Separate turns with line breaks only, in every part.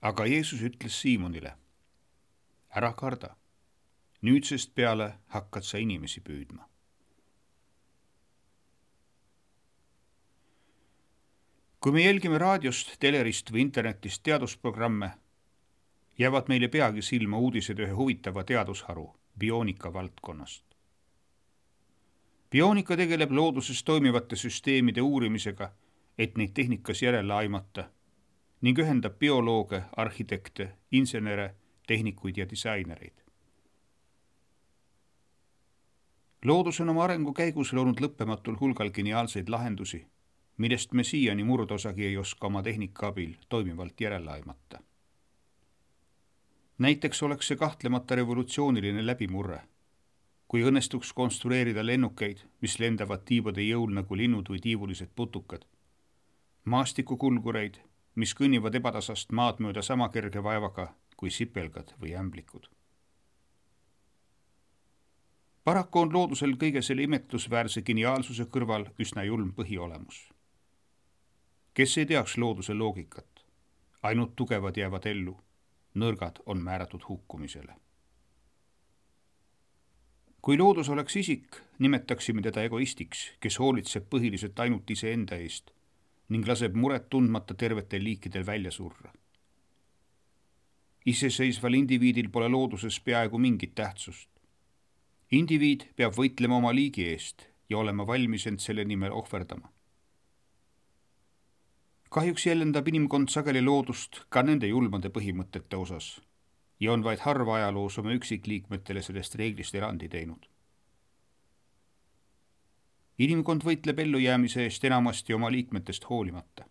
Aga Jeesus ütles Siimonile, ära karda, nüüdsest peale hakkad sa inimesi püüdma. Kui me jälgime raadiost, telerist või internetist teadusprogramme, jäävad meile peagi silma uudised ühe huvitava teadusharu, bioonika valdkonnast. Bioonika tegeleb looduses toimivate süsteemide uurimisega, et neid tehnikas järele aimata ning ühendab biolooge, arhitekte, insenere, tehnikuid ja disainereid. Loodus on oma arengu käigus loonud lõppematul hulgal geniaalseid lahendusi, millest me siiani murdosagi ei oska oma tehnika abil toimivalt järele aimata. Näiteks oleks see kahtlemata revolutsiooniline läbimurre, kui õnnestuks konstrueerida lennukeid, mis lendavad tiibade jõul nagu linnud või tiivulised putukad, maastikukulgureid, mis kõnnivad ebatasast maad mööda sama kerge vaevaga kui sipelgad või ämblikud. Paraku on loodusel kõige selle imetlusväärse geniaalsuse kõrval üsna julm põhiolemus. Kes ei teaks looduse loogikat? Ainult tugevad jäävad ellu, nõrgad on määratud hukkumisele. Kui loodus oleks isik, nimetaksime teda egoistiks, kes hoolitseb põhiliselt ainult iseenda eest ning laseb muret tundmata tervetel liikidel välja surra. Iseseisval indiviidil pole looduses peaaegu mingit tähtsust. Indiviid peab võitlema oma liigi eest ja olema valmis end selle nimel ohverdama. Kahjuks jäljendab inimkond sageli loodust ka nende julmade põhimõtete osas ja on vaid harva ajaloos oma üksikliikmetele sellest reeglist erandi teinud. Inimkond võitleb ellujäämise eest enamasti oma liikmetest hoolimata.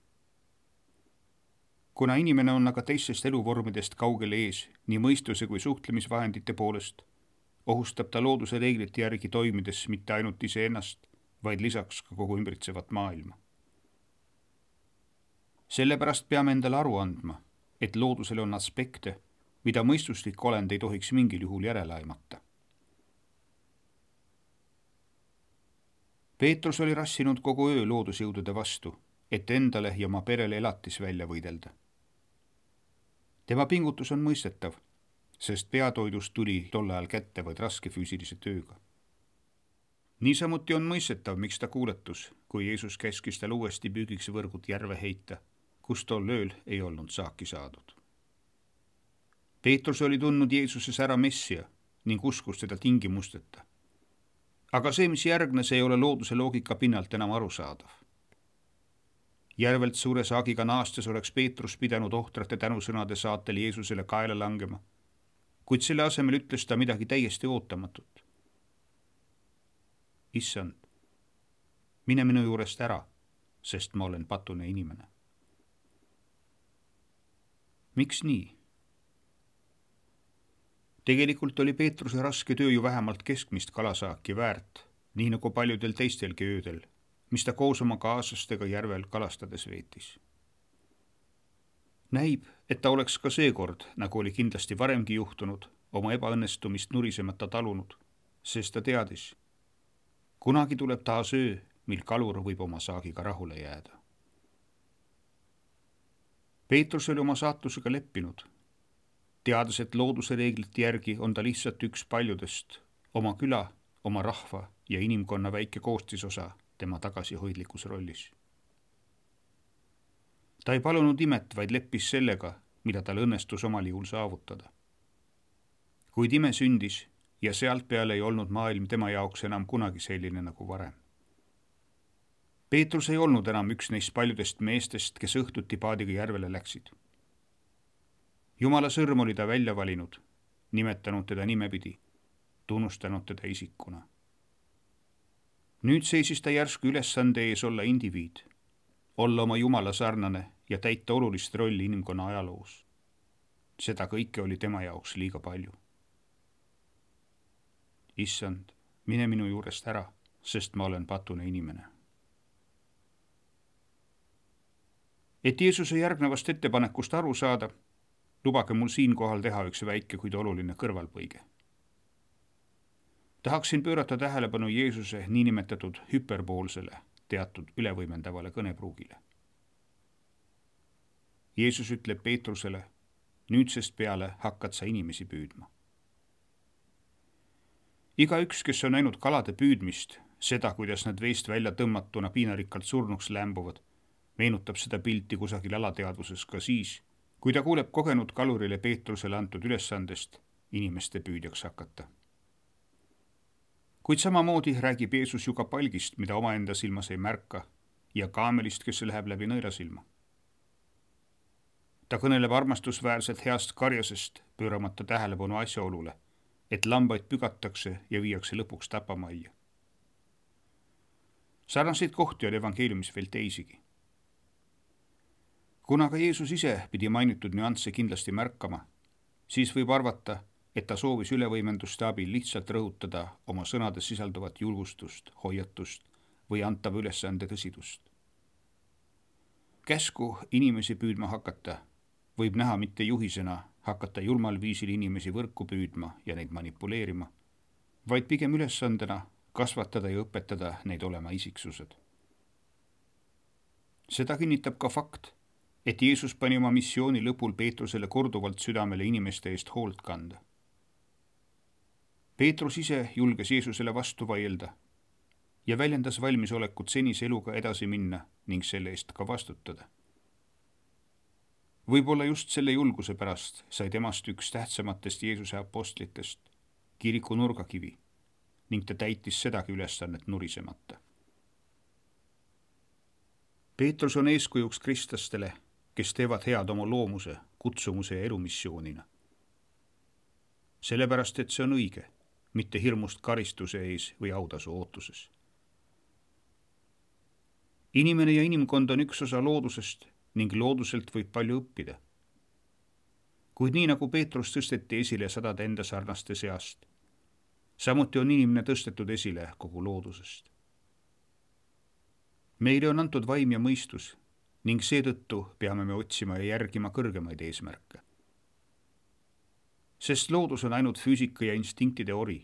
Kuna inimene on aga teistest eluvormidest kaugele ees nii mõistuse kui suhtlemisvahendite poolest, ohustab ta looduse reeglite järgi toimides mitte ainult iseennast, vaid lisaks ka kogu ümbritsevat maailma. Sellepärast peame endale aru andma, et loodusel on aspekte, mida mõistuslik olend ei tohiks mingil juhul järele aimata. Peetrus oli rassinud kogu öö loodusjõudude vastu, et endale ja oma perele elatis välja võidelda. Tema pingutus on mõistetav, sest peatoidust tuli tol ajal kätte vaid raske füüsilise tööga. Niisamuti on mõistetav, miks ta kuuletus, kui Jeesus käskis tal uuesti püügiks võrgud järve heita, kus tol ööl ei olnud saaki saadud. Peetrus oli tundnud Jeesuses ära Messia ning uskus teda tingimusteta. Aga see, mis järgnes, ei ole looduse loogika pinnalt enam arusaadav. Järvelt suure saagiga naastes oleks Peetrus pidanud ohtrate tänusõnade saatel Jeesusele kaela langema, kuid selle asemel ütles ta midagi täiesti ootamatut. Issand, mine minu juurest ära, sest ma olen patune inimene. Miks nii? Tegelikult oli Peetruse raske töö ju vähemalt keskmist kalasaaki väärt, nii nagu paljudel teistelgi öödel, mis ta koos oma kaaslastega järvel kalastades veetis. Näib, et ta oleks ka seekord, nagu oli kindlasti varemgi juhtunud, oma ebaõnnestumist nurisemata talunud, sest ta teadis. Kunagi tuleb taas öö, mil kalur võib oma saagiga rahule jääda. Peetrus oli oma saatusega leppinud, teades, et looduse reeglite järgi on ta lihtsalt üks paljudest, oma küla, oma rahva ja inimkonna väike koostisosa tema tagasihoidlikus rollis. Ta ei palunud imet, vaid leppis sellega, mida tal õnnestus omal juhul saavutada. Kuid ime sündis ja sealt peale ei olnud maailm tema jaoks enam kunagi selline nagu varem. Peetrus ei olnud enam üks neist paljudest meestest, kes õhtuti paadiga järvele läksid. Jumala sõrm oli ta välja valinud, nimetanud teda nimepidi, tunnustanud teda isikuna. Nüüd seisis ta järsku ülesande ees olla indiviid, olla oma Jumala sarnane ja täita olulist rolli inimkonna ajaloos. Seda kõike oli tema jaoks liiga palju. Issand, mine minu juurest ära, sest ma olen patune inimene. Et Jeesuse järgnevast ettepanekust aru saada, lubage mul siinkohal teha üks väike, kuid oluline kõrvalpõige. Tahaksin pöörata tähelepanu Jeesuse niinimetatud hüperboolsele, teatud ülevõimendavale kõnepruugile. Jeesus ütleb Peetrusele, nüüdsest peale hakkad sa inimesi püüdma. Igaüks, kes on näinud kalade püüdmist, seda, kuidas nad veest välja tõmmatuna piinarikkalt surnuks lämbuvad, meenutab seda pilti kusagil alateadvuses ka siis, kui ta kuuleb kogenud kalurile Peetrusele antud ülesandest inimeste püüdjaks hakata. Kuid samamoodi räägib Jeesus ju ka palgist, mida omaenda silmas ei märka, ja kaamelist, kes läheb läbi nõelasilma. Ta kõneleb armastusväärselt heast karjasest, pööramata tähelepanu asjaolule, et lambaid pügatakse ja viiakse lõpuks tapamajja. Sarnaseid kohti on evangeeliumis veel teisigi. Kuna ka Jeesus ise pidi mainitud nüansse kindlasti märkama, siis võib arvata, et ta soovis ülevõimenduste abil lihtsalt rõhutada oma sõnades sisalduvat julgustust, hoiatust või antava ülesande tõsidust. Käsku inimesi püüdma hakata võib näha mitte juhisena hakata julmal viisil inimesi võrku püüdma ja neid manipuleerima, vaid pigem ülesandena kasvatada ja õpetada neid olema isiksused. Seda kinnitab ka fakt, et Jeesus pani oma missiooni lõpul Peetrusele korduvalt südamele inimeste eest hoolt kanda. Peetrus ise julges Jeesusele vastu vaielda ja väljendas valmisolekut senise eluga edasi minna ning selle eest ka vastutada. Võib-olla just selle julguse pärast sai temast üks tähtsamatest Jeesuse apostlitest, kiriku nurgakivi, ning ta täitis sedagi ülesannet nurisemata. Peetrus on eeskujuks kristlastele, kes teevad head oma loomuse, kutsumuse ja elumissioonina. Sellepärast, et see on õige, mitte hirmust karistuse ees või autasu ootuses. Inimene ja inimkond on üks osa loodusest ning looduselt võib palju õppida. Kuid nii nagu Peetrus tõsteti esile sadade enda sarnaste seast, samuti on inimene tõstetud esile kogu loodusest. Meile on antud vaim ja mõistus ning seetõttu peame me otsima ja järgima kõrgemaid eesmärke. Sest loodus on ainult füüsika ja instinktide ori.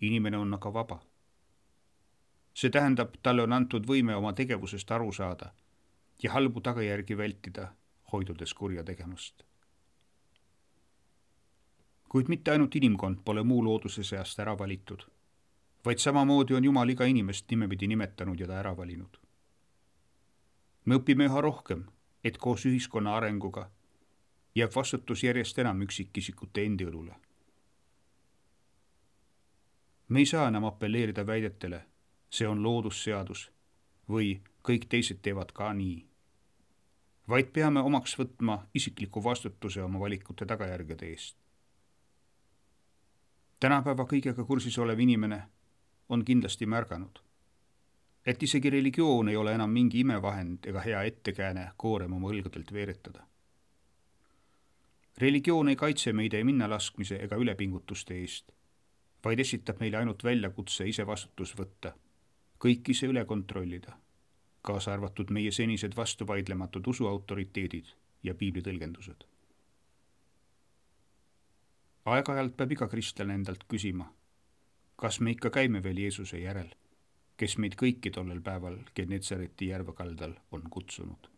Inimene on aga vaba. See tähendab, talle on antud võime oma tegevusest aru saada ja halbu tagajärgi vältida, hoidudes kurja tegemast. Kuid mitte ainult inimkond pole muu looduse seast ära valitud, vaid samamoodi on Jumal iga inimest nimepidi nimetanud ja ta ära valinud. Me õpime üha rohkem, et koos ühiskonna arenguga jääb vastutus järjest enam üksikisikute endi õlule. Me ei saa enam apelleerida väidetele, see on loodusseadus või kõik teised teevad ka nii, vaid peame omaks võtma isikliku vastutuse oma valikute tagajärgede eest. Tänapäeva kõigega kursis olev inimene on kindlasti märganud, et isegi religioon ei ole enam mingi imevahend ega hea ettekääne koorem oma õlgadelt veeretada. Religioon ei kaitse meid ei minnalaskmise ega ülepingutuste eest, vaid esitab meile ainult väljakutse ise vastutus võtta, kõik ise üle kontrollida, kaasa arvatud meie senised vastuvaidlematud usuautoriteedid ja piibli tõlgendused. Aeg-ajalt peab iga kristlane endalt küsima, kas me ikka käime veel Jeesuse järel, kes meid kõiki tollel päeval Genetsareti järve kaldal on kutsunud.